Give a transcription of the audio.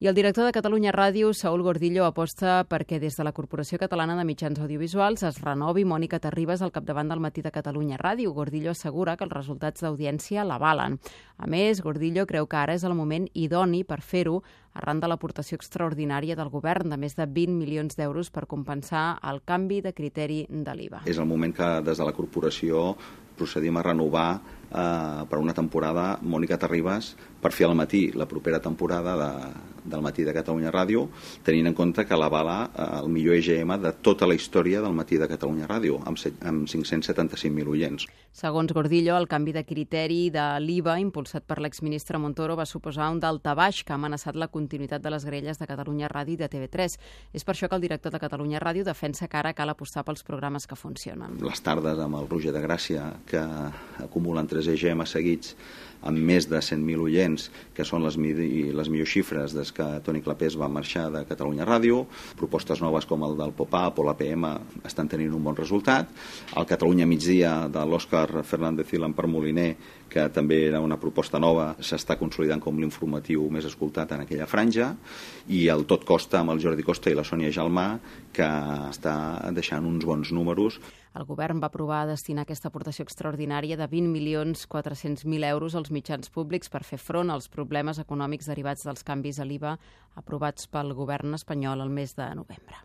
I el director de Catalunya Ràdio, Saúl Gordillo, aposta perquè des de la Corporació Catalana de Mitjans Audiovisuals es renovi Mònica Terribas al capdavant del Matí de Catalunya Ràdio. Gordillo assegura que els resultats d'audiència l'avalen. A més, Gordillo creu que ara és el moment idoni per fer-ho arran de l'aportació extraordinària del govern de més de 20 milions d'euros per compensar el canvi de criteri de l'IVA. És el moment que des de la corporació procedim a renovar per una temporada Mònica Terribas per fer al matí la propera temporada del Matí de Catalunya Ràdio, tenint en compte que l'avala el millor EGM de tota la història del Matí de Catalunya Ràdio, amb 575.000 oients. Segons Gordillo, el canvi de criteri de l'IVA impulsat per l'exministre Montoro va suposar un daltabaix que ha amenaçat la continuïtat de les grelles de Catalunya Ràdio i de TV3. És per això que el director de Catalunya Ràdio defensa que ara cal apostar pels programes que funcionen. Les tardes amb el Roger de Gràcia, que acumulen 3 EGM seguits amb més de 100.000 oients, que són les millors xifres des que Toni Clapés va marxar de Catalunya Ràdio. Propostes noves com el del Pop-Up o l'APM estan tenint un bon resultat. El Catalunya Migdia de l'Òscar Fernández i l'Empar Moliner, que també era una proposta nova, s'està consolidant com l'informatiu més escoltat en aquella franja, i el Tot Costa amb el Jordi Costa i la Sònia Jalmà, que està deixant uns bons números. El govern va aprovar destinar aquesta aportació extraordinària de 20.400.000 euros als mitjans públics per fer front als problemes econòmics derivats dels canvis a l'IVA aprovats pel govern espanyol el mes de novembre.